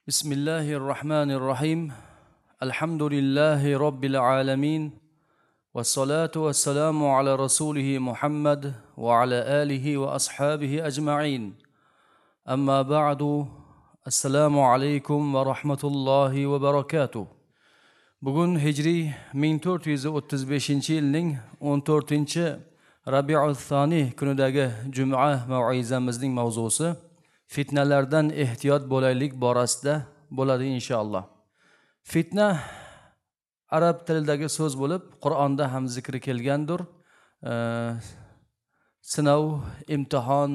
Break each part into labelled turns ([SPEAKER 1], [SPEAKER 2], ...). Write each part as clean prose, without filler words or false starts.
[SPEAKER 1] Bismillahirrohmanirrohim. Alhamdulillahi robbil alamin. Vassalatu vassalamu ala rasulihi Muhammad va ala alihi va ashabihi ajma'in. Amma ba'du. Assalomu alaykum va rahmatullohi va barakatuh. Bugun Hijriy 1435-yilning 14 Rabiul Thani kunidagi juma mav'izamizning mavzusi fitnalardan ehtiyot bo'laylik borasida bo'ladi inshaalloh. Fitna arab tilidagi so'z bo'lib, Qur'onda ham zikri kelgandir. Sinov, imtihon,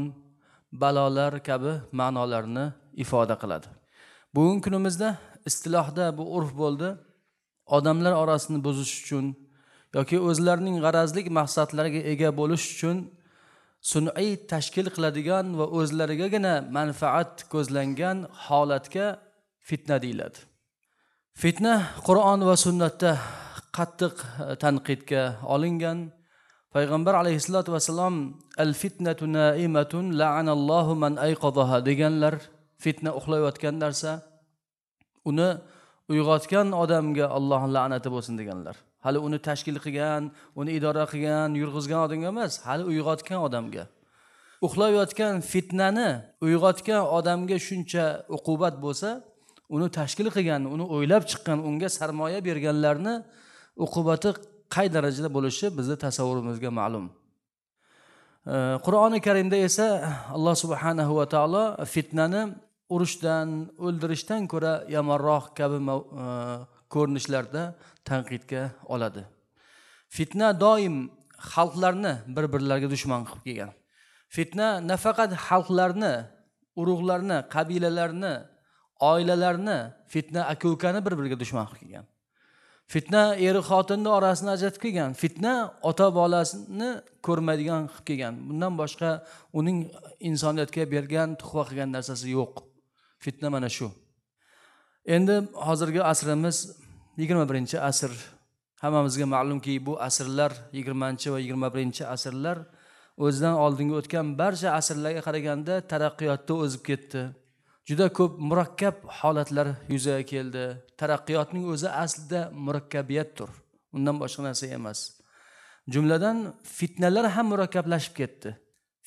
[SPEAKER 1] balolar kabi ma'nolarni ifoda qiladi. Bugungi kunimizda istilohda bu urf bo'ldi. Odamlar orasini buzish uchun yoki o'zlarining g'arazlik maqsadlariga ega bo'lish uchun sun'iy tashkil qiladigan va o'zlarigagina manfaat ko'zlangan holatga fitna deyiladi. Fitna Qur'on va sunnatda qattiq tanqidga olingan. Payg'ambar alayhissalatu vassalom al fitnatu naimatun la'anallohu man ayqadaha deganlar. Fitna uxlayotgan narsa, uni uyg'otgan odamga Allohning la'nati bo'lsin deganlar. Hali uni tashkil qilgan, uni idora qilgan, yurg'izgan odamga emas, hali uyg'otgan odamga. Uxlayotgan fitnani uyg'otgan odamga shuncha uqubat bo'lsa, uni tashkil qilgan, uni o'ylab chiqqan, unga sarmoya berganlarni uqubati qay darajada bo'lishi bizni tasavvurimizga ma'lum. Qur'oni Karimda esa Alloh subhanahu va taolo fitnani urushdan, o'ldirishdan ko'ra yomonroq kabi ko'rinishlarda tanqidga oladi. Fitna doim xalqlarni bir-birlariga dushman qilib kelgan. Fitna nafaqat xalqlarni, urug'larni, qabilalarni, oilalarni, fitna aka-ukani bir-biriga dushman qilib kelgan. Fitna eri xotinni orasini ajratib kelgan. Fitna ota bolasini ko'rmaydigan qilib kelgan. Bundan boshqa uning insoniyatga bergan, tuhfa qilgan narsasi yo'q. Fitna mana shu. Endi hozirgi asrimiz 21-asr. Hammamizga ma'lumki, bu asrlar 20 va 21-asrlar o'zidan oldingi o'tgan barcha asrlarga qaraganda taraqqiyotda o'zib ketdi. Juda ko'p murakkab holatlar yuzaga keldi. Taraqqiyotning o'zi aslida murakkabiyatdir. Undan boshqa narsa emas. Jumladan fitnalar ham murakkablashib ketdi.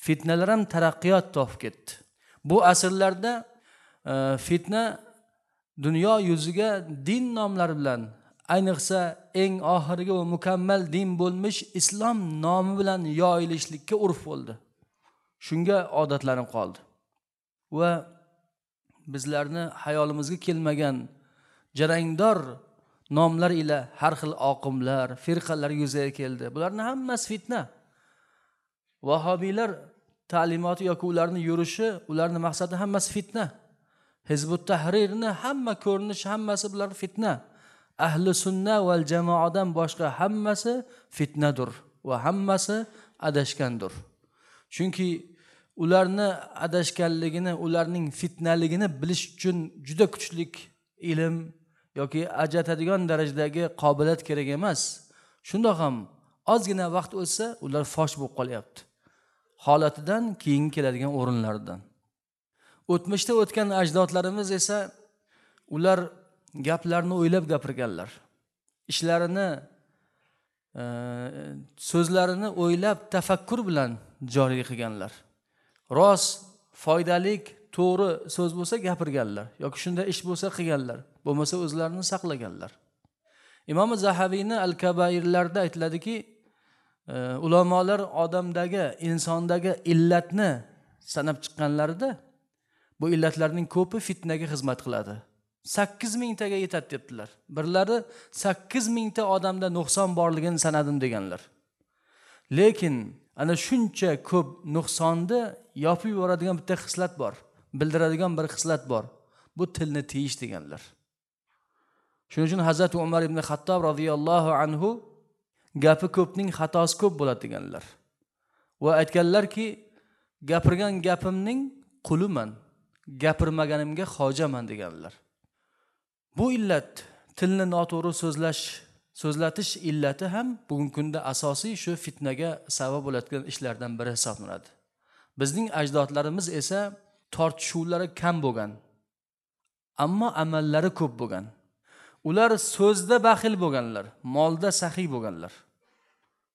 [SPEAKER 1] Fitnalar ham taraqqiyot topib ketdi. Bu asrlarda fitna dunyo yuziga din nomlari bilan, ayniqsa eng oxirgi va mukammal din bo'lmish islom nomi bilan yoyilishlikka urf bo'ldi. Shunga odatlanib qoldi. Va bizlarni hayolimizga kelmagan jarangdor nomlar ila har xil oqimlar, firqalar yuzaga keldi. Bularning hammasi fitna. Vahobiylar ta'limoti yoki ularning yurishi, ularning maqsadi hammasi fitna. Hizbut Tahrirni hamma ko'rinishi, hammasi bular fitna. Ahli sunna val jamoadan boshqa hammasi fitnadir va hammasi adashgandir. Chunki ularni adashganligini, ularning fitnaligini bilish uchun juda kuchlik ilm yoki ajratadigan darajadagi qobiliyat kerak emas. Shundoq ham ozgina vaqt o'tsa ular fosh bo'lib qolyapti. Holatidan keyin keladigan o'rinlaridan. O'tmishda o'tgan ajdodlarimiz esa ular gaplarni o'ylab gapirganlar. Ishlarini, so'zlarini o'ylab tafakkur bilan joriy qilganlar. Rost, foydalik, to'g'ri so'z bo'lsa gapirganlar yoki shunda ish bo'lsa qilganlar, bo'lmasa o'zlarini saqlaganlar. Imom Zahabiyni Al-Kabairlarda aytiladiki, ulamolar odamdagi, insondagi illatni sanab chiqqanlarida bu illatlarning ko'pi fitnaga xizmat qiladi. 8000 taga yetadi debdilar. Birlari 8000 ta odamda nuqson borligini sanadim deganlar. Lekin ana shuncha ko'p nuqsonni yopib yuboradigan bitta xislat bor, bildiradigan bir xislat bor. Bu tilni tiyish deganlar. Shuning uchun Hazrat Umar ibn Xattob radhiyallohu anhu gapi ko'pning xatosi ko'p bo'ladi deganlar. Va aytganlarki, gapirgan gapimning quliman, gapirmaganimga hojaman deganlar. Bu illat tilni noto'g'ri so'zlash, so'zlatish illati ham bugungi kunda asosiy shu fitnaga sabab bo'ladigan ishlardan biri hisoblanadi. Bizning ajdodlarimiz esa tortishuvlari kam bo'lgan, Ammo amallari ko'p bo'lgan. Ular so'zda baxil bo'lganlar, molda saxiy bo'lganlar.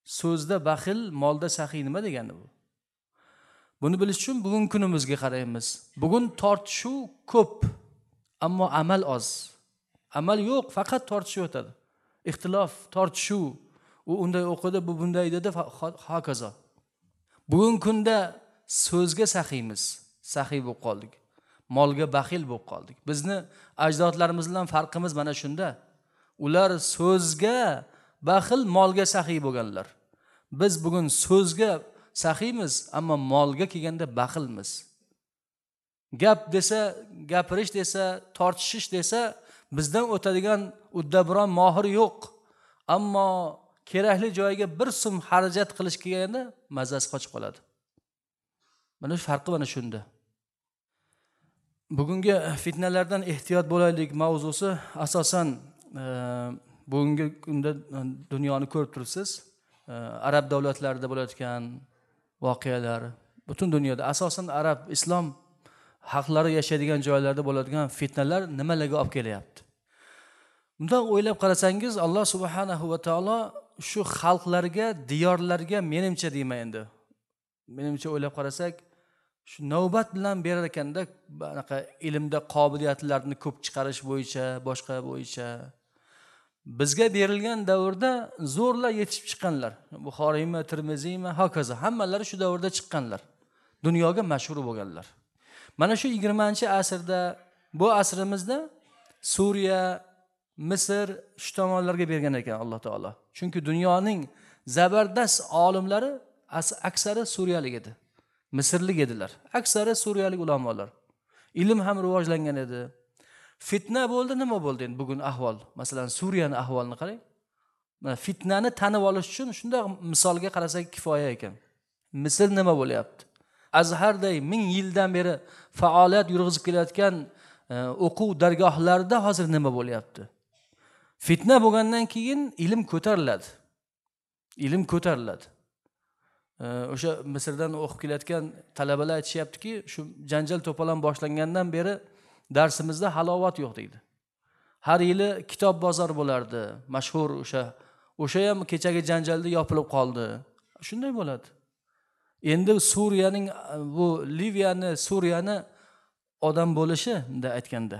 [SPEAKER 1] So'zda baxil, molda saxiy nima degani bu? Buni bilish uchun bugun kunimizga qaraymiz. Bugun tortishuv ko'p, ammo amal oz. Amal yo'q, faqat tortishuv o'tadi. Ixtilof, tortishuv, u unday o'qidi, bu bunday dedi, hokazo. Bugun kunda so'zga saxiymiz, saxiy bo'lib qoldik. Molga baxil bo'lib qoldik. Bizni ajdodlarimiz bilan farqimiz mana shunda. Ular so'zga baxil, molga saxiy bo'lganlar. Biz bugun so'zga saxiymiz, ammo molga kelganda baxilmiz. Gap desa, gapirish desa, tortishish desa, bizdan o'tadigan uddaburon mohir yo'q. Ammo kerakli joyga bir so'm xarajat qilish kelganda mazasi qochib qoladi. Mana shu farqi mana shunda. Bugungi fitnalardan ehtiyot bo'laylik mavzusi asosan bugungi kunda dunyoni ko'rib turibsiz. Arab davlatlarida bo'layotgan voqealar, butun dunyoda asosan arab, islom xalqlari yashaydigan joylarda bo'ladigan fitnalar nimalarga olib kelyapti? Bundan o'ylab qarasangiz, Alloh subhanahu va taolo shu xalqlarga, diyorlarga menimcha deyman endi. Menimcha o'ylab qarasak, shu navbat bilan berar ekanda, anaqa ilmda qobiliyatlarni ko'p chiqarish bo'yicha, boshqa bo'yicha bizga berilgan davrda zo'rla yetishib chiqqanlar. Buxoriymi, Termiziymi, hokazo hammalari shu davrda chiqqanlar. Dunyoga mashhur bo'lganlar. Mana shu 20-asrda, bu asrimizda Suriya, Misr shu tomonlarga bergan ekan Alloh taolo. Chunki dunyoning zabardast olimlari aksari suriyalik edi. Misrlik edilar. Aksari suriyalik ulamolar. Ilm ham rivojlangan edi. Fitna bo'ldi, nima bo'ldi endi bugun ahvol? Masalan, Suriyaning ahvolini qarang. Mana fitnani tanib olish uchun shunday misolga qarasak kifoya ekan. Misr nima bo'lyapti? Azharday 1000 yildan beri faoliyat yurg'izib kelayotgan o'quv dargohlarida hozir nima bo'lyapti? Fitna bo'lgandan keyin ilm ko'tariladi. Ilm ko'tariladi. O'sha Misrdan o'qib kelayotgan talabalar aytishyaptiki, shu janjal to'polon boshlangandan beri darsimizda halovat yo'q deydi. Har yili kitob bozor bo'lardi, mashhur o'sha ham kechagi janjalda yopilib qoldi. Shunday bo'ladi. Endi Suriyaning bu Liviyani, Suriyani odam bo'lishi bunday aytganda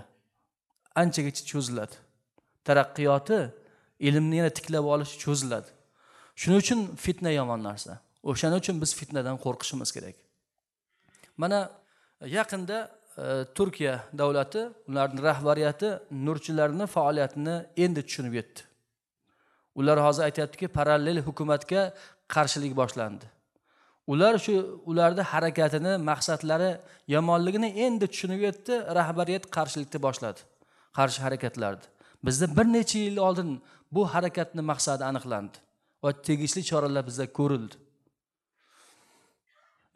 [SPEAKER 1] anchagacha cho'ziladi. Taraqqiyoti, ilmni yana tiklab olish cho'ziladi. Shuning uchun fitna yomon narsa. O'shaning uchun biz fitnadan qo'rqishimiz kerak. Mana yaqinda Turkiya davlati, ularning rahbariyati nurchilarning faoliyatini endi tushunib yetdi. Ular hozir aytayaptiki, parallel hukumatga qarshilik boshlandi. Ular shu ularda harakatini, maqsadlari yomonligini endi tushunib yetdi, rahbariyat qarshilikni boshladi. Qarshi harakatlarni. Bizda bir necha yil oldin bu harakatning maqsadi aniqlandi va tegishli choralar bizda ko'rildi.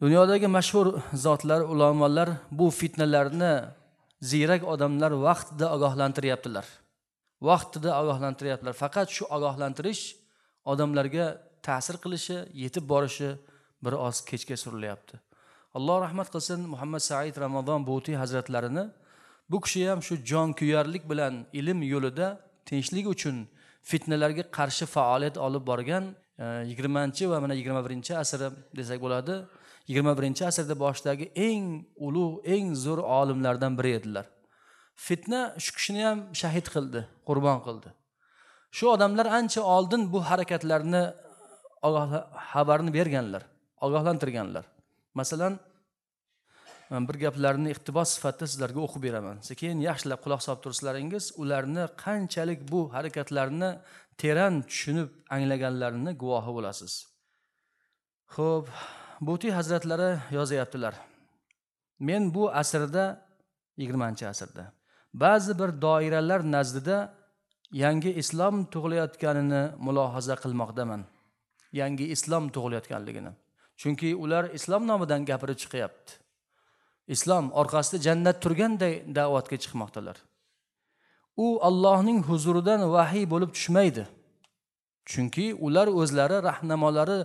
[SPEAKER 1] Dunyodagi mashhur zotlar, ulamolar bu fitnalarni ziyrak odamlar vaqtida ogohlantiryaptilar. Vaqtida ogohlantiryaptilar. Faqat shu ogohlantirish odamlarga ta'sir qilishi, yetib borishi bir oz kechga surilyapti. Alloh rahmat qilsin Muhammad Said Ramazon Buti hazratlarini. Bu kishi ham shu jonkuyarlik bilan ilm yo'lida tinchlik uchun fitnalarga qarshi faoliyat olib borgan 20 va mana 21-asr desak bo'ladi. 21-asrda boshidagi eng ulug', eng zo'r olimlardan biri edilar. Fitna shu kishini ham shahid qildi, qurbon qildi. Shu odamlar ancha oldin bu harakatlarni xabarini berganlar, ogohlantirganlar. Masalan, bir gaplarni iqtibos sifatida sizlarga o'qib beraman. Sekin yaxshilab quloq solib turslaringiz, ularni qanchalik bu harakatlarni teran tushunib anglaganlarini guvohi bo'lasiz. Xo'p, Buti hazratlari yozyaptilar. Men bu asrda, 20-asrda ba'zi bir doiralar nazdida yangi islom tug'ilayotganini mulohaza qilmoqdaman. Yangi islom tug'ilayotganligini. Chunki ular islom nomidan gapirib chiqyapti. Islom orqasida jannat turganday da'vatga chiqmoqdalar. U Allohning huzuridan vahiy bo'lib tushmaydi. Chunki ular o'zlari rahnamolari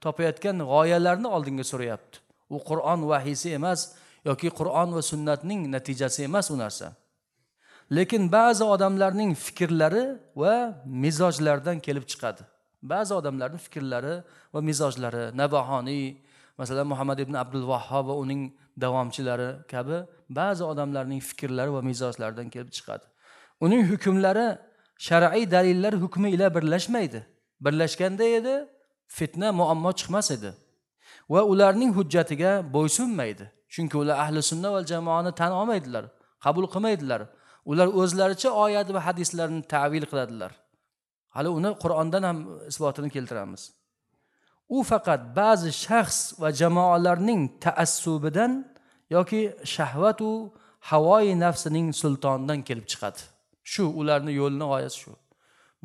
[SPEAKER 1] topayotgan g'oyalarni oldinga suryapti. U Qur'on vahiysi emas yoki Qur'on va sunnatning natijasi emas u narsa. Lekin ba'zi odamlarning fikrlari va mizojlaridan kelib chiqadi. Ba'zi odamlarning fikrlari va mizojlari, Nabahoniy, masalan Muhammad ibn Abdul Vahhob va uning davomchilari kabi ba'zi odamlarning fikrlari va mizojlaridan kelib chiqadi. Uning hukmlari shar'iy dalillar hukmi ila birlashmaydi. Birlashganda edi fitna, muammo chiqmas edi va ularning hujjatiga bo'ysunmaydi. Chunki ular ahli sunna va jamoani tan olmaydilar, qabul qilmaydilar. Ular o'zlaricha oyat va hadislarni ta'vil qiladilar. Hali uni Qur'ondan ham isbotini keltiramiz. U faqat ba'zi shaxs va jamoalarning taassubidan yoki shahvat u havoi nafsining sultonidan kelib chiqadi. Shu ularning yo'lini g'oyasi shu.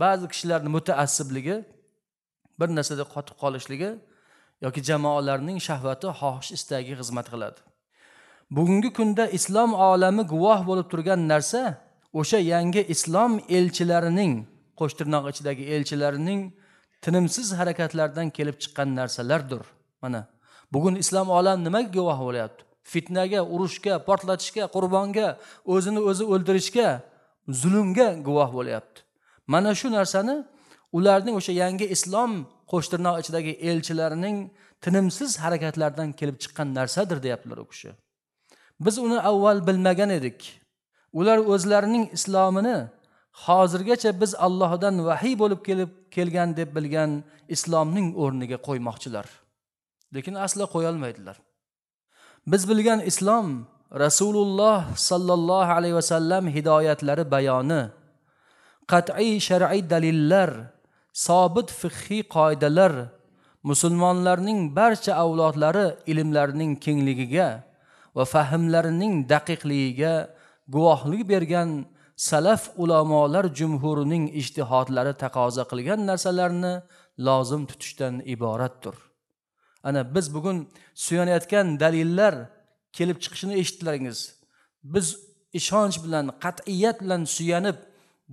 [SPEAKER 1] Ba'zi kishilarning mutaassibligi, bir narsada qotib qolishligi yoki jamoalarning shahvati, xohish istagiga xizmat qiladi. Bugungi kunda islom olami guvoh bo'lib turgan narsa o'sha yangi islom elchilarining, qo'shtirnoq ichidagi elchilarining tinimsiz harakatlardan kelib chiqqan narsalardir. Mana bugun islom olami nimaga guvoh bo'lyapti? Fitnaga, urushga, portlatishga, qurbonga, o'zini o'zi o'ldirishga, zulmga guvoh bo'lyapti. Mana shu narsani ularning o'sha yangi islom qo'shtirnoq ichidagi elchilarining tinimsiz harakatlardan kelib chiqqan narsadir deyaptilar u kishi. Biz uni avval bilmagan edik. Ular o'zlarining islomini hozirgacha biz Allohdan vahiy bo'lib kelib kelgan deb bilgan islomning o'rniga qo'ymoqchilar. Lekin aslo qo'ya olmaydilar. Biz bilgan islom Rasululloh sallallohu alayhi vasallam hidoyatlari bayoni, qat'iy shar'iy dalillar, sobit fiqhiy qoidalar, musulmonlarning barcha avlodlari ilmlarining kengligiga va fahmlarining daqiqligiga guvohlik bergan salaf ulamolar jumhurining ijtihodlari taqozo qilgan narsalarni lozim tutishdan iboratdir. Ana biz bugun suyanayotgan dalillar kelib chiqishini eshitdilaringiz. Biz ishonch bilan, qat'iyat bilan suyanib,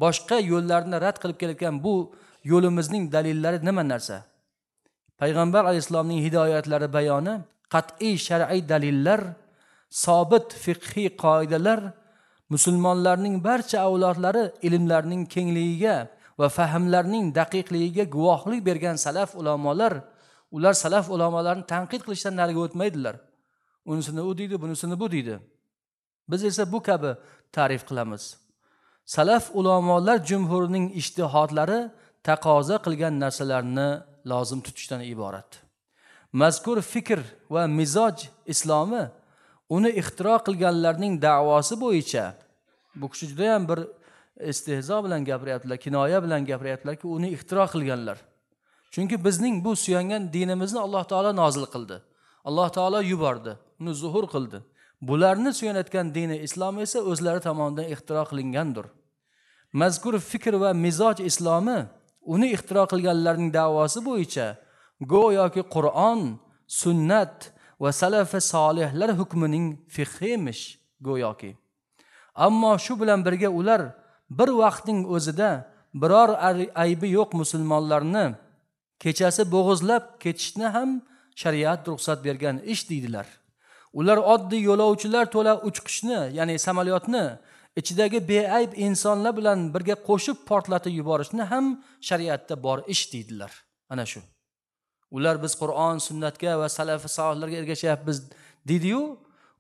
[SPEAKER 1] boshqa yo'llarni rad qilib kelayotgan bu yo'limizning dalillari nima narsa? Payg'ambar alayhissalomning hidoyatlari bayoni, qat'iy shar'iy dalillar, sobit fiqhiy qoidalar, musulmonlarning barcha avlodlari ilmlarining kengligiga va fahmlarining daqiqligiga guvohlik bergan salaf ulamolar, ular salaf ulamolarini tanqid qilishdan nariga o'tmaydilar. Unisini u deydi, bunisini bu deydi. Biz esa bu kabi ta'rif qilamiz. Salaf ulamolar jumhurining ijtihodlari taqozo qilgan narsalarni lozim tutishdan iborat. Mazkur fikr va mizoj islomi uni ixtiro qilganlarning da'vosi bo'yicha, bu kishi juda ham bir istehzo bilan gapiryaptilar, kinoya bilan gapiryaptilarki, uni ixtiro qilganlar. Chunki bizning bu suyangan dinimizni Alloh taolo nozil qildi. Alloh taolo yubordi, uni zuhur qildi. Bularni suyanayotgan dini islom esa o'zlari tomonidan ixtiro qilingandir. Mazkur fikr va mizoj islomi uni ixtiro qilganlarning da'vosi bo'yicha go'yoki Qur'on, sunnat va salafi solihlar hukmining fiqhi emish go'yoki. Ammo shu bilan birga ular bir vaqtning o'zida biror aybi yo'q musulmonlarni kechasi bo'g'izlab ketishni ham shariat ruxsat bergan ish deydilar. Ular oddiy yo'lovchilar to'la uchqushni, ya'ni samolyotni ichidagi beayb insonlar bilan birga qo'shib portlatib yuborishni ham shariatda bor ish deydilar. Ana shu. Ular biz Qur'on, sunnatga va salafi solihlarga ergashyapmiz deydi-yu,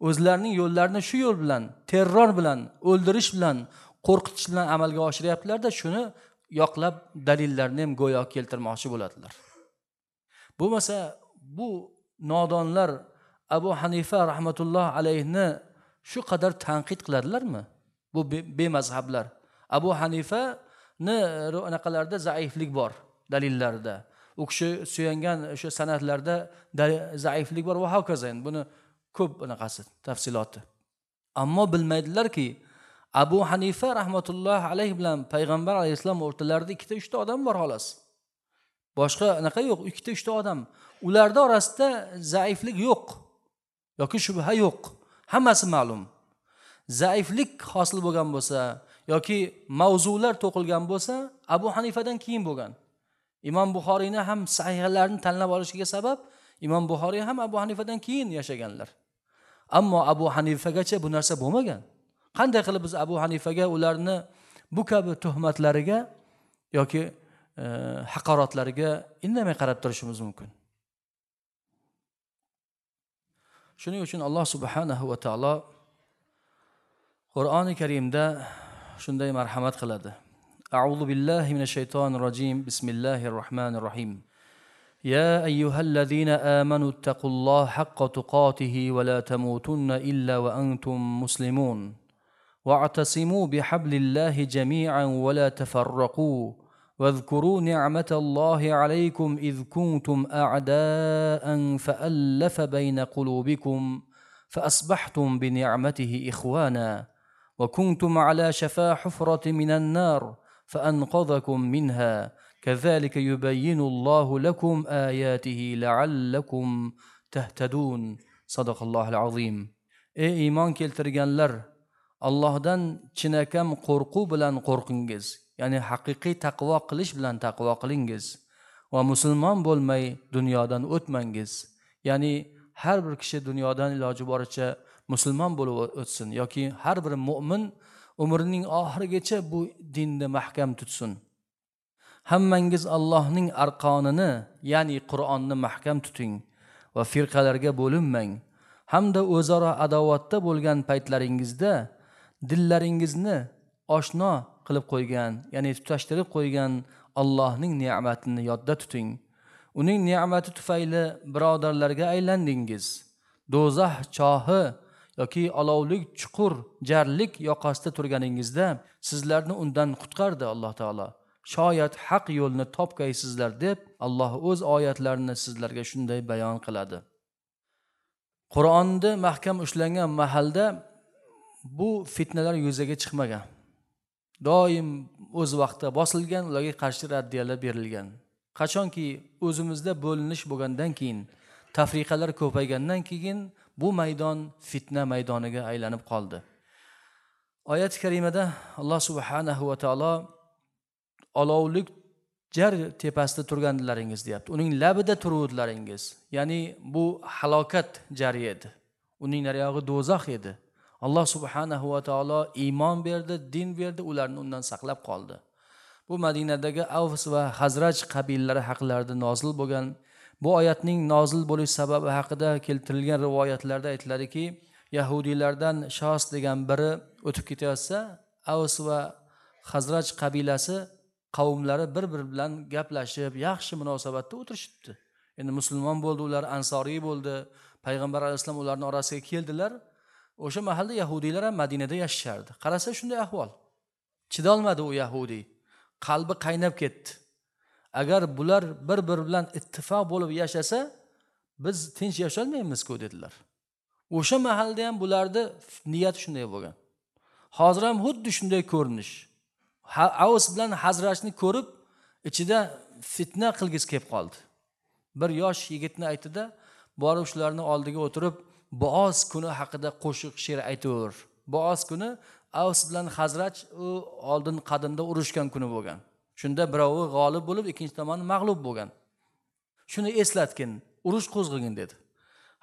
[SPEAKER 1] o'zlarining yo'llarini shu yo'l bilan, terror bilan, o'ldirish bilan, qo'rqitish bilan amalga oshiryaptilar-da, shuni yoqlab dalillarni ham go'yo keltirmoqchi bo'ladilar. Bo'lmasa bu nodonlar Abu Hanifa rahmatulloh alayhni shu qadar tanqid qiladilarmi? Bu bemazhablar. Abu Hanifani anaqalarda zaiflik bor dalillarida. U kishi suyangan o'sha san'atlarda zaiflik bor va hokazo. Buni ko'p anaqasi tafsiloti. Ammo bilmaydilarki, Abu Hanifa rahmatulloh alayhi bilan payg'ambar alayhissalom o'rtalarida ikkita uchta odam bor xolos. Boshqa anaqa yo'q, ikkita uchta odam. Ularda orasida zaiflik yo'q yoki shubha yo'q. Hammasi ma'lum. Zaiflik hosil bo'lgan bo'lsa yoki mavzular to'qilgan bo'lsa, Abu Hanifadan keyin bo'lgan. Imom Buxoriyni ham sahihlarini tanlab olishiga sabab Imom Buxoriy ham Abu Hanifadan keyin yashaganlar. Ammo Abu Hanifagacha bu narsa bo'lmagan. Qanday qilib biz Abu Hanifaga ularni bu kabi tuhmatlariga yoki haqoratlariga indamay qarab turishimiz mumkin? Shuning uchun Alloh subhanahu va taolo Qur'oni Karimda shunday marhamat qiladi. A'udhu billahi minash shaytonir rojim. Bismillahir rohmanir rohim. Ya ayyuhallazina amanu ittaqulloha haqqa tuqatihi va la tamutunna illa va antum muslimun. Wa'tasimu bihablillahi jami'an va la tafarraqu. واذكروا نعمة الله عليكم إذ كنتم أعداء فألف بين قلوبكم فأصبحتم بنعمته إخوانا وكنتم على شفا حفرة من النار فأنقذكم منها كذلك يبين الله لكم آياته لعلكم تهتدون. صدق الله العظيم. Ey iymon keltirganlar, Allohdan chinakam qo'rquv bilan qo'rqingiz, ya'ni haqiqiy taqvo qilish bilan taqvo qilingiz va musulmon bo'lmay dunyodan o'tmangiz. Ya'ni har bir kishi dunyodan iloji boricha musulmon bo'lib o'tsin yoki har bir mo'min umrining oxirigacha bu dinni mahkam tutsin. Hammangiz Allohning arqonini, ya'ni Qur'onni mahkam tuting va firqalarga bo'linmang. Hamda o'zaro adovatda bo'lgan paytlaringizda dillaringizni oshno qilib qo'ygan, ya'ni tutashtirib qo'ygan Allohning ne'matini yodda tuting. Uning ne'mati tufayli birodarlarga aylandingiz. Do'zax chohi yoki olovlik chuqur jarlik yoqasida turganingizda sizlarni undan qutqardi Alloh taolo. Shoyat haq yo'lni topgaysizlar deb Alloh o'z oyatlarini sizlarga shunday bayon qiladi. Qur'onni mahkam ushlangan mahalda bu fitnalar yuzaga chiqmagan. Doim o'z vaqtida bosilgan, ularga qarshi raddiyalar berilgan. Qachonki o'zimizda bo'linish bo'lgandan keyin, tafriqalar ko'paygandan keyin bu maydon fitna maydoniga aylanib qoldi. Oyat-i karimada Alloh subhanahu va taolo olovlik jar tepasida turganlaringiz deyapti. Uning labida turuvdilaringiz. Ya'ni bu halokat jari edi. Uning nariyog'i do'zax edi. Alloh subhanahu va taolo iymon berdi, din berdi, ularni undan saqlab qoldi. Bu Madinadagi Avs va Hazraj qabilalari haqlarida nozil bo'lgan. Bu oyatning nozil bo'lish sababi haqida keltirilgan rivoyatlarda aytiladiki, yahudiylardan Shos degan biri o'tib ketayotsa, Avs va Hazraj qabilasi qavmlari bir-biri bilan gaplashib, yaxshi munosabatda o'tirishibdi. Endi musulmon bo'ldi, ular ansoriy bo'ldi. Payg'ambar alayhissalom ularning orasiga keldilar. O'sha mahalda yahudiylar ham Madinada yashashardi. Qarasa shunday ahvol. Chidolmadi u yahudiy. Qalbi qaynab ketdi. Agar bular bir-biri bilan ittifoq bo'lib yashasa, biz tinch yasholmaymiz-ku dedilar. O'sha mahalda ham bularni niyati shunday bo'lgan. Hozir ham xuddi shunday ko'rinish. Avs bilan Hazrajni ko'rib, ichida fitna qilgisi kelib qoldi. Bir yosh yigitni aytdi-da, borib shularni oldiga o'tirib, Boaz kuni haqida qo'shiq she'r aytaver. Boaz kuni Avs bilan Hazraj u oldin qadimda urushgan kuni bo'lgan. Shunda birovi g'olib bo'lib, ikkinchi tomoni mag'lub bo'lgan. Shuni eslatgin, urush qo'zg'agin dedi.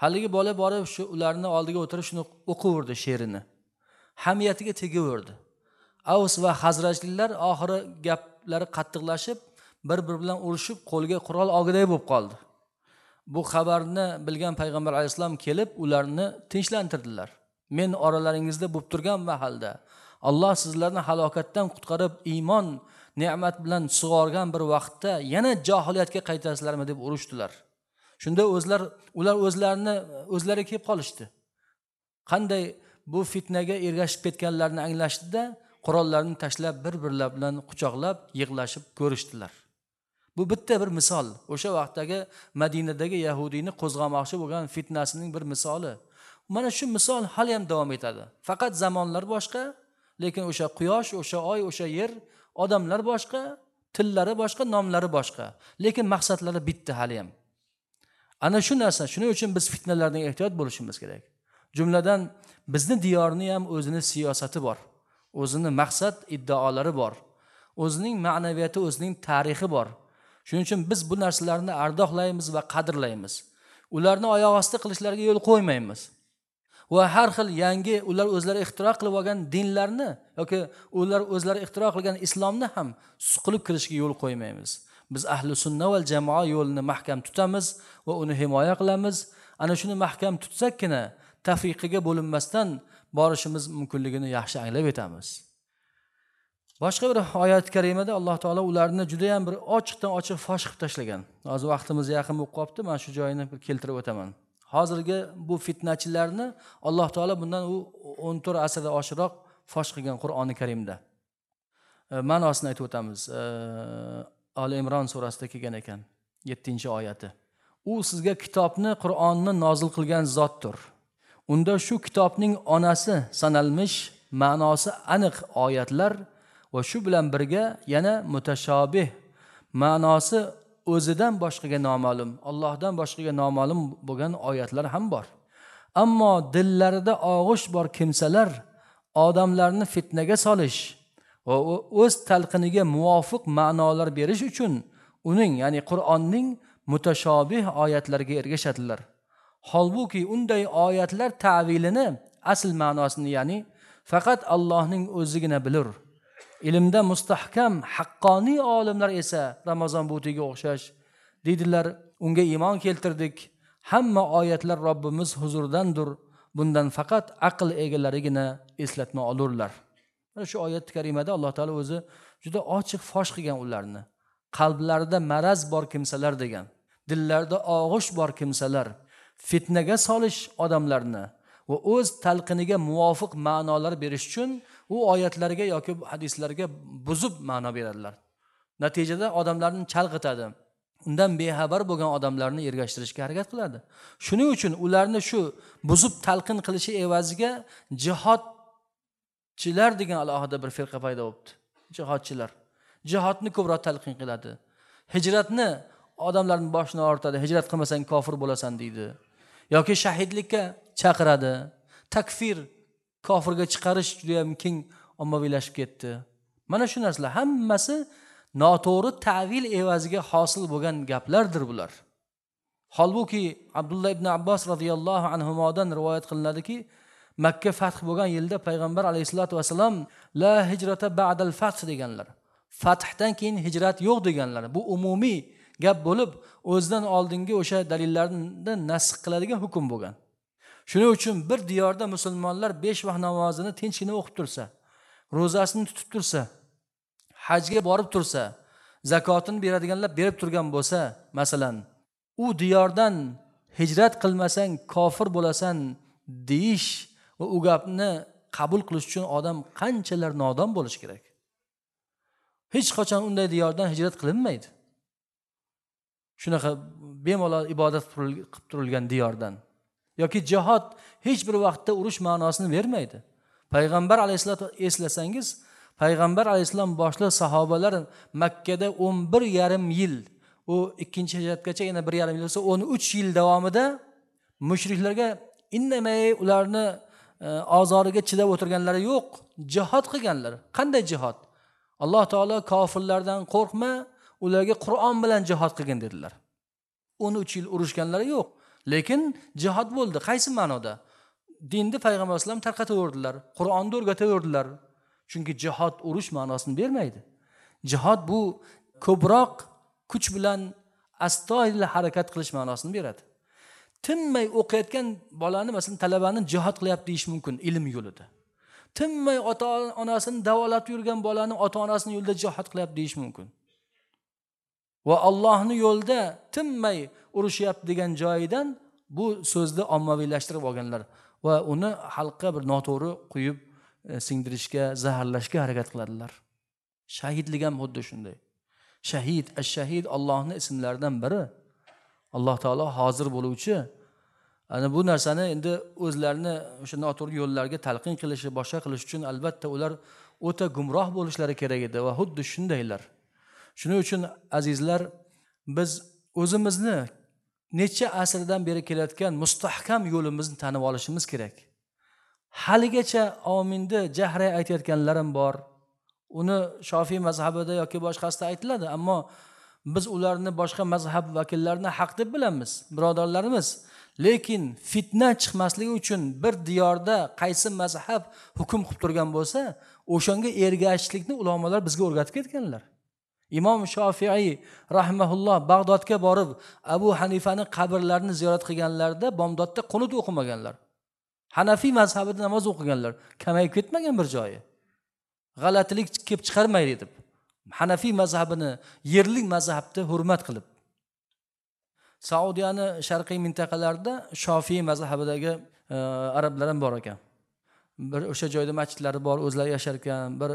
[SPEAKER 1] Haligi bola borib shu ularni oldiga o'tirib shuni o'qiverdi she'rini. Hamiyatiga tegaverdi. Avs va Hazrajliklar oxiri gaplari qattiqlashib, bir-biri bilan urushib, qo'lga qurol olgiday bo'lib qoldi. Bu xabarni bilgan payg'ambar alayhissalom kelib ularni tinchlantirdilar. Men oralaringizda bo'lib turgan mahalda Alloh sizlarni halokatdan qutqarib, iymon ne'mat bilan sug'organ bir vaqtda yana johiliyatga qaytasizlarmi deb urushdilar. Shunda ular o'zlari kelib qolishdi. Qanday bu fitnaga ergashib ketganlarini anglashdida, qurollarni tashlab bir-birlari bilan quchoqlab, yig'lashib ko'rishdilar. Bu bitta bir misol. O'sha vaqtdagi Madinadagi yahudiyni qo'zg'amoqchi bo'lgan fitnasining bir misoli. Mana shu misol hali ham davom etadi. Faqat zamonlar boshqa, lekin o'sha quyosh, o'sha oy, o'sha yer, odamlar boshqa, tillari boshqa, nomlari boshqa, lekin maqsadlari bitta hali ham. Ana shu narsa, shuning uchun biz fitnalardan ehtiyot bo'lishimiz kerak. Jumladan bizni diyorni ham o'zini siyosati bor, o'zini maqsad iddaolari bor, o'zining ma'naviyati, o'zining tarixi bor. Shuning uchun biz bu narsalarni ardoqlaymiz va qadrlaymiz. Ularni oyoq osti qilishlariga yo'l qo'ymaymiz. Va har xil yangi ular o'zlari ixtiro qilib olgan dinlarni yoki ular o'zlari ixtiro qilgan islomni ham suqilib kirishiga yo'l qo'ymaymiz. Biz ahli sunna val jamoa yo'lini mahkam tutamiz va uni himoya qilamiz. Ana shuni mahkam tutsakkina tafriqiga bo'linmasdan borishimiz mumkinligini yaxshi anglab yetamiz. Boshqa bir oyat karimada Alloh taolo ularni juda ham bir ochiqdan ochiq fosh qilib tashlagan. Hozir vaqtimiz yaqin bo'lib qolibdi, men shu joyini bir keltirib o'taman. Hozirgi bu fitnachilarni Alloh taolo bundan u 14 asrda oshiqroq fosh qilgan Qur'oni Karimda. Ma'nosini aytib o'tamiz. Ali Imron surasida kelgan ekan, 7-oyati. U sizga kitobni, Qur'onni nozil qilgan zotdir. Unda shu kitobning onasi sanalmish ma'nosi aniq oyatlar va shu bilan birga yana mutashobih ma'nosi o'zidan boshqaga noma'lum, Allohdan boshqaga noma'lum bo'lgan oyatlar ham bor. Ammo dillarida og'ish bor kimsalar odamlarni fitnaga solish va o'z talqiniga muvofiq ma'nolar berish uchun uning, ya'ni Qur'onning mutashobih oyatlariga ergashadilar. Holbuki unday oyatlar ta'vilini, asl ma'nosini, ya'ni faqat Allohning o'zigina bilur. Ilmda mustahkam haqqoniy olimlar esa Ramazon butiga o'xshash deydilar, unga iymon keltirdik. Hamma oyatlar Robbimiz huzuridandir. Bundan faqat aql egalarigina eslatma olurlar. Mana shu oyat karimada Alloh taolo o'zi juda ochiq fosh qilgan ularni. Qalblarida maraz bor kimsalar degan, dillarida og'ish bor kimsalar, fitnaga solish odamlarni va o'z talqiniga muvofiq ma'nolar berish uchun u oyatlarga yoki hadislarga buzib ma'no beradilar. Natijada odamlarni chalg'itadi. Undan bexabar bo'lgan odamlarni ergashtirishga harakat qiladi. Shuning uchun ularni shu buzib talqin qilishi evaziga jihodchilar degan alohida bir firqa paydo bo'libdi. Jihodchilar jihodni ko'proq talqin qiladi. Hijratni odamlarning boshini og'ritadi. Hijrat qilmasang kofir bo'lasan deydi. Yoki shahidlikka chaqiradi. Takfir, kofirga chiqarish juda ham keng ommaviylashib ketdi. Mana shu narsalar hammasi noto'g'ri ta'vil evaziga hosil bo'lgan gaplardir bular. Holbuki Abdulloh ibn Abbos radhiyallohu anhumodan rivoyat qilinadiki, Makka fath bo'lgan yilda payg'ambar alayhisolatu vasallam la hijrata ba'dal fath deganlar. Fathdan keyin hijrat yo'q deganlar. Bu umumiy gap bo'lib, o'zidan oldingi o'sha dalillarni nasx qiladigan hukm bo'lgan. Shuning uchun bir diyorda musulmonlar 5 vaqt namozini tinchgina o'qib tursa, ro'zasini tutib tursa, hajga borib tursa, zakotini beradiganlar berib turgan bo'lsa, masalan, u diyordan hijrat qilmasang kofir bo'lasan deyish va u gapni qabul qilish uchun odam qanchalar nodon bo'lishi kerak. Hech qachon unday diyordan hijrat qilinmaydi. Shunaqa bemalol ibodat qilib turilgan diyordan. Yoki jihod hech bir vaqtda urush ma'nosini bermaydi. Payg'ambar alayhissalom eslasangiz, payg'ambar alayhissalom boshliq sahobalar Makkada 11,5 yil, u ikkinchi hijratgacha yana 1,5 yil bo'lsa 13 yil davomida mushriklarga indamay ularni ozoriga chidab o'tirganlari yo'q, jihod qilganlar. Qanday jihod? Alloh taolo kofirlardan qo'rqma, ularga Qur'on bilan jihod qilgin dedilar. 13 yil urushganlari yo'q, lekin jihod bo'ldi. Qaysi ma'noda? Dinni payg'ambar alayhissalom tarqataverdilar, Qur'onni o'rgataverdilar. Chunki jihod urush ma'nosini bermaydi. Jihod bu ko'proq kuch bilan astoydil harakat qilish ma'nosini beradi. Tinmay o'qiyotgan bolani, masalan, talabani jihod qilyapti deyish mumkin ilm yo'lida. Tinmay ota-onasini davolab yurgan bolani ota-onasini yo'lida jihod qilyapti deyish mumkin. Va Allohning yo'lida tinmay urushyapti degan joyidan bu so'zni ommaviylashtirib olganlar va uni xalqqa bir noto'g'ri quyib singdirishga, zaharlashga harakat qiladilar. Shahidlik ham xuddi shunday. Shahid, ash-shahid Allohning ismlaridan biri. Alloh taolo hozir bo'luvchi. Ana bu narsani endi o'zlarini o'sha noto'g'ri yo'llarga talqin qilishi, boshqa qilish uchun albatta ular o'ta gumroh bo'lishlari kerak edi va xuddi shundaylar. Shuning uchun azizlar, biz o'zimizni necha asrdan beri kelayotgan mustahkam yo'limizni tanib olishimiz kerak. Haligacha ominda jahray aytayotganlarim bor. Uni Shofiy mazhabida yoki boshqasida aytiladi, ammo biz ularni boshqa mazhab vakillarini haq deb bilamiz, birodarlarimiz. Lekin fitna chiqmasligi uchun bir diyorda qaysi mazhab hukm qilib turgan bo'lsa, o'shanga ergashishlikni ulamolar bizga o'rgatib ketganlar. Imom Shofiiy rahimahulloh Bag'dodga borib Abu Hanifani qabrlarini ziyorat qilganlarida bomdodda qunut o'qimaganlar. Hanafiy mazhabida namoz o'qiganlar, kamayib ketmagan bir joyi. G'alatilik kelib chiqarmaydi deb. Hanafiy mazhabini, yerlik mazhabni hurmat qilib. Saudiyani sharqiy mintaqalarida Shofiy mazhabidagi arablar ham bor ekan. Bir o'sha joyda masjidlari bor, o'zlari yashar ekan. Bir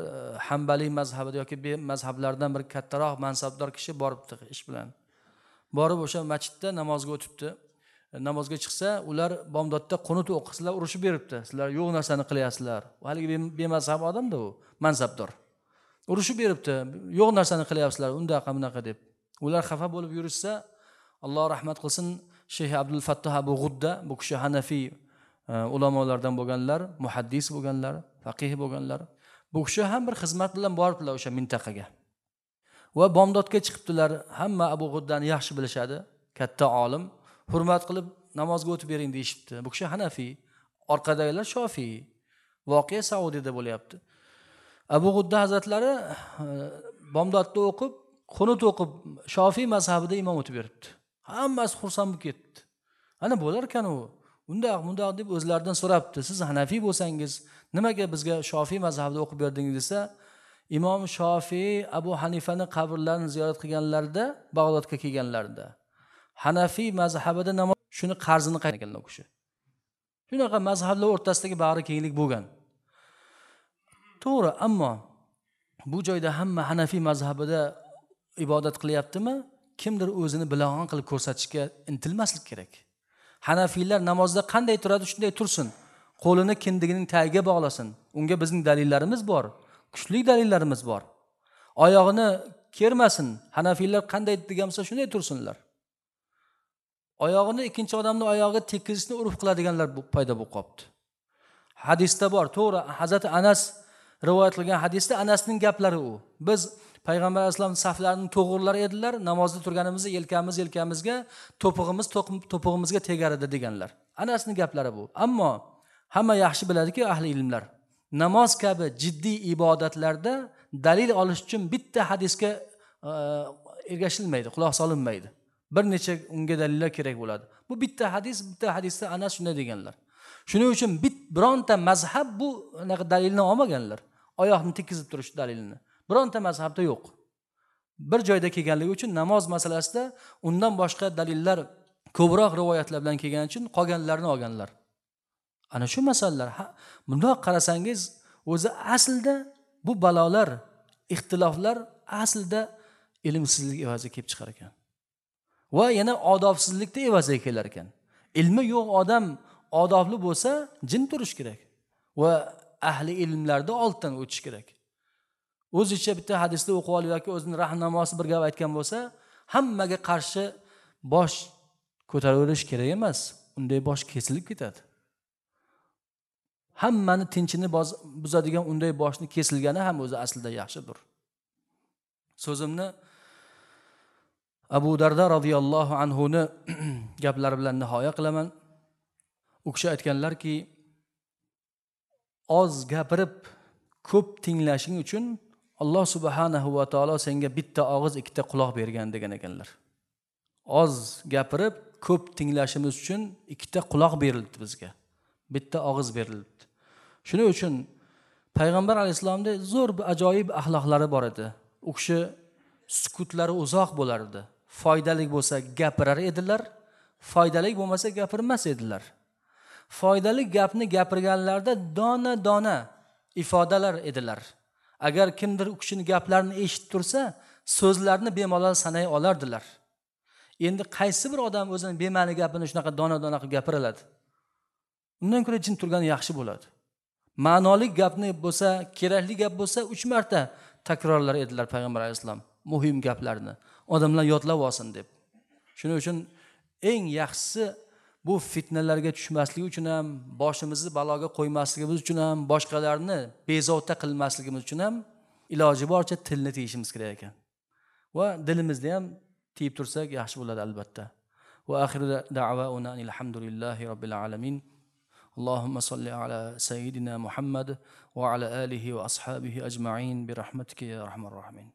[SPEAKER 1] Hanbaliy mazhabida yoki mazhablardan bir kattaroq mansabdor kishi boribdi ish bilan. Borib o'sha masjidda namozga o'tibdi. Namozga chiqsa, ular bomdodda qunut o'qisizlar, urushib beribdi. Sizlar yo'q narsani qilyapsizlar. Haligi bemazhab odam-da u, mansabdor. Urushib beribdi, yo'q narsani qilyapsizlar, undaqa bunaqa deb. Ular xafa bo'lib yurishsa, Alloh rahmat qilsin, Sheyx Abdul Fattoh Abu G'udda, bu kishi Hanafiy ulamolardan bo'lganlar, muhaddis bo'lganlar, faqih bo'lganlar. Bu kishi ham bir xizmat bilan boribdilar o'sha mintaqaga. Va bomdodga chiqibdilar. Hamma Abu G'uddani yaxshi bilishadi, katta olim. Hurmat qilib namozga o'tib bering deyishibdi. Bu kishi Hanafiy, orqadagilar Shofiy. Voqea Saudiyada bo'lyapti. Abu G'udda hazratlari bomdodda o'qib, qunut o'qib, Shofiy mazhabida imom o'tib beribdi. Hammasi xursand bo'lib ketdi. Ana bo'lar ekan u. Undaq bundoq deb o'zlaridan so'rabdi. Siz Hanafiy bo'lsangiz, nimaga bizga Shofiy mazhabida o'qib berdingiz desa, Imom Shofiy Abu Hanifani qabrlarini ziyorat qilganlarida, Bag'dodga kelganlarida Hanafiy mazhabida namoz shuni qarzini qaytargan u kishi. Shunaqa mazhablar o'rtasidagi bag'ri kenglik bo'lgan. To'g'ri, ammo bu joyda hamma Hanafiy mazhabida ibodat qilyaptimi? Kimdir o'zini bilag'on qilib ko'rsatishga intilmaslik kerak. Hanafiylar namozda qanday turadi, shunday tursin. Qo'lini kindigining tagiga bog'lasin. Unga bizning dalillarimiz bor, kuchli dalillarimiz bor. Oyog'ini kermasin. Hanafiylar qanday degan bo'lsa shunday tursinlar. Oyog'ini ikkinchi odamning oyog'iga tekkizishni urf qiladiganlar paydo bo'lib qolibdi. Hadisda bor, to'g'ri, Hazrati Anas rivoyat qilgan hadisda Anasning gaplari u. Biz Payg'ambar alayhisalom saflarini to'g'rilar edilar, namozda turganimizda yelkamiz yelkamizga, to'pig'imiz to'pig'imizga tegar edi deganlar. Anasning gaplari bu. Ammo hamma yaxshi biladiki ahli ilmlar, namoz kabi jiddiy ibodatlarda dalil olish uchun bitta hadisga ergashilmaydi, quloq solinmaydi. Bir necha unga dalillar kerak bo'ladi. Bu bitta hadis, bitta hadisda Anas shunday deganlar. Shuning uchun bironta mazhab bu anaqa dalilni olmaganlar. Oyoqni tekkizib turish dalilini. Bironta mazhabda yo'q. Bir joyda kelganligi uchun namoz masalasida undan boshqa dalillar ko'proq rivoyatlar bilan kelgani uchun qolganlarni olganlar. Ana shu masalalar, bundoq qarasangiz, o'zi aslida bu balolar, ixtiloflar aslida ilmsizlik evaziga kelib chiqar ekan. Va yana odobsizlikda evaziga kelar ekan. Ilmi yo'q odam odobli bo'lsa, jim turish kerak va ahli ilmlarda olddan o'tish kerak. O'zicha bitta hadisni o'qib olib yoki o'zining rahnamosi bir gap aytgan bo'lsa, hammaga qarshi bosh ko'taraverish kerak emas. Unday bosh kesilib ketadi. Hammani tinchini buzadigan unday boshni kesilgani ham o'zi aslida yaxshidir. So'zimni Abu Darda radhiyallohu anhu ni gaplari bilan nihoya qilaman. U kishi aytganlarki, oz gapirib ko'p tinglashing uchun Alloh subhanahu va taolo senga bitta og'iz, ikkita quloq bergan degan ekanlar. Oz gapirib ko'p tinglashimiz uchun ikkita quloq berildi bizga. Bitta og'iz berildi. Shuning uchun Payg'ambar alayhissalomda zo'r bir ajoyib axloqlari bor edi. U kishi sukutlari uzoq bo'lardi. Foydali bo'lsa gapirar edilar, foydali bo'lmasa gapirmas edilar. Foydali gapni gapirganlarda dona-dona ifodalar edilar. Agar kimdir u kishining gaplarini eshitib tursa, so'zlarini bemalol sanay olardilar. Endi qaysi bir odam o'zining bema'ni gapini shunaqa dona-dona qilib gapiradi? Undan ko'ra jim turgani yaxshi bo'ladi. Ma'noli gapni bo'lsa, kerakli gap bo'lsa 3 marta takrorlar edilar Payg'ambar alayhissalom muhim gaplarni. Odamlar yodlab olsin deb. Shuning uchun eng yaxshisi bu fitnalarga tushmaslik uchun ham, boshimizni baloga qo'ymasligimiz uchun ham, boshqalarni bezovta qilmasligimiz uchun ham iloji boricha tilni tiyishimiz kerak ekan. Va dilimizni ham tiyib tursak yaxshi bo'ladi albatta. Va axiru da'vauna alhamdulillahi robbil alamin. Allohumma solli ala sayyidina Muhammad va ala alihi va ashabihi ajma'in bi rahmatika ya arhamar rohimin.